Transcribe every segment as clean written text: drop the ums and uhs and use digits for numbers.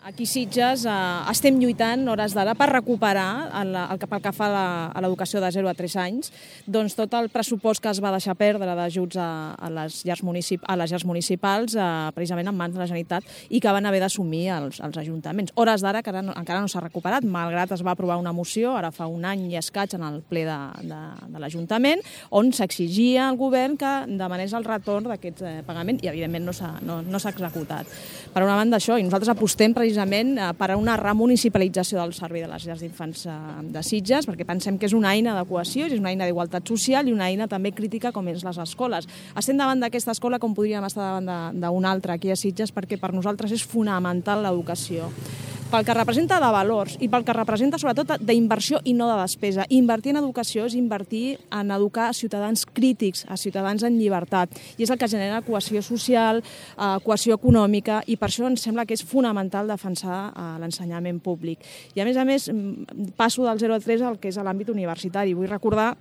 Aquí a Sitges estem lluitant hores d'ara per recuperar, pel que fa a l'educació de 0 a 3 anys, doncs tot el pressupost que es va deixar perdre d'ajuts a les llars municipals, precisament en mans de la Generalitat, i que van haver d'assumir els ajuntaments. Hores d'ara encara no s'ha recuperat, malgrat es va aprovar una moció, ara fa un any i escaig, en el ple de l'Ajuntament, on s'exigia al govern que demanés el retorn d'aquest pagament i, evidentment, no s'ha executat. Per una banda, això, i nosaltres apostem precisament per a una remunicipalització del servei de les llars d'infants de Sitges, perquè pensem que és una eina de cohesió, és una eina d'igualtat social i una eina també crítica com és les escoles. Estem davant d'aquesta escola com podríem estar davant d'una altra aquí a Sitges, perquè per nosaltres és fonamental l'educació. Pel que representa de valors i pel que representa sobretot d'inversió i no de despesa. Invertir en educació és invertir en educar a ciutadans crítics, a ciutadans en llibertat, i és el que genera cohesió social, cohesió econòmica, i per això ens sembla que és fonamental defensar l'ensenyament públic. I a més, passo del 0 a 3 al que és l'àmbit universitari. Vull recordar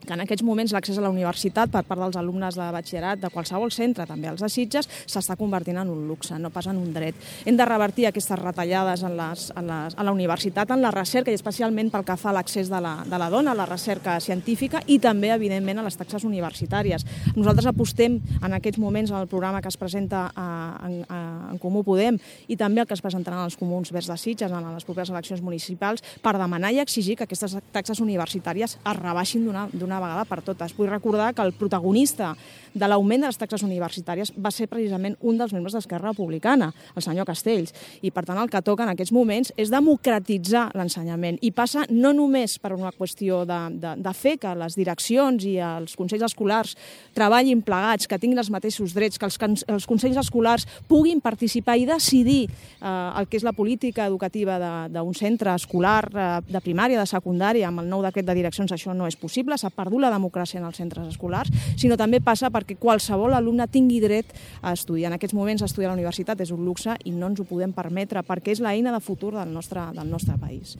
que en aquests moments l'accés a la universitat per part dels alumnes de batxillerat de qualsevol centre, també els de Sitges, s'està convertint en un luxe, no pas en un dret. Hem de revertir aquestes retallades a la universitat, en la recerca, i especialment pel que fa a l'accés de la dona a la recerca científica i també, evidentment, a les taxes universitàries. Nosaltres apostem en aquests moments en el programa que es presenta en Comú Podem i també el que es presentaran als Comuns Verds de Sitges en les properes eleccions municipals per demanar i exigir que aquestes taxes universitàries es rebaixin d'una vegada per totes. Vull recordar que el protagonista de l'augment de les taxes universitàries va ser precisament un dels membres d'Esquerra Republicana, el senyor Castells, i per tant el que toca en aquests moments és democratitzar l'ensenyament, i passa no només per una qüestió de fer que les direccions i els consells escolars treballin plegats, que tinguin els mateixos drets, que els consells escolars puguin participar i decidir el que és la política educativa d'un centre escolar de primària, de secundària. Amb el nou decret de direccions això no és possible, s'ha perdut la democràcia en els centres escolars, sinó també passa perquè qualsevol alumne tingui dret a estudiar. En aquests moments estudiar a la universitat és un luxe i no ens ho podem permetre perquè és l'eina de futur del nostre país.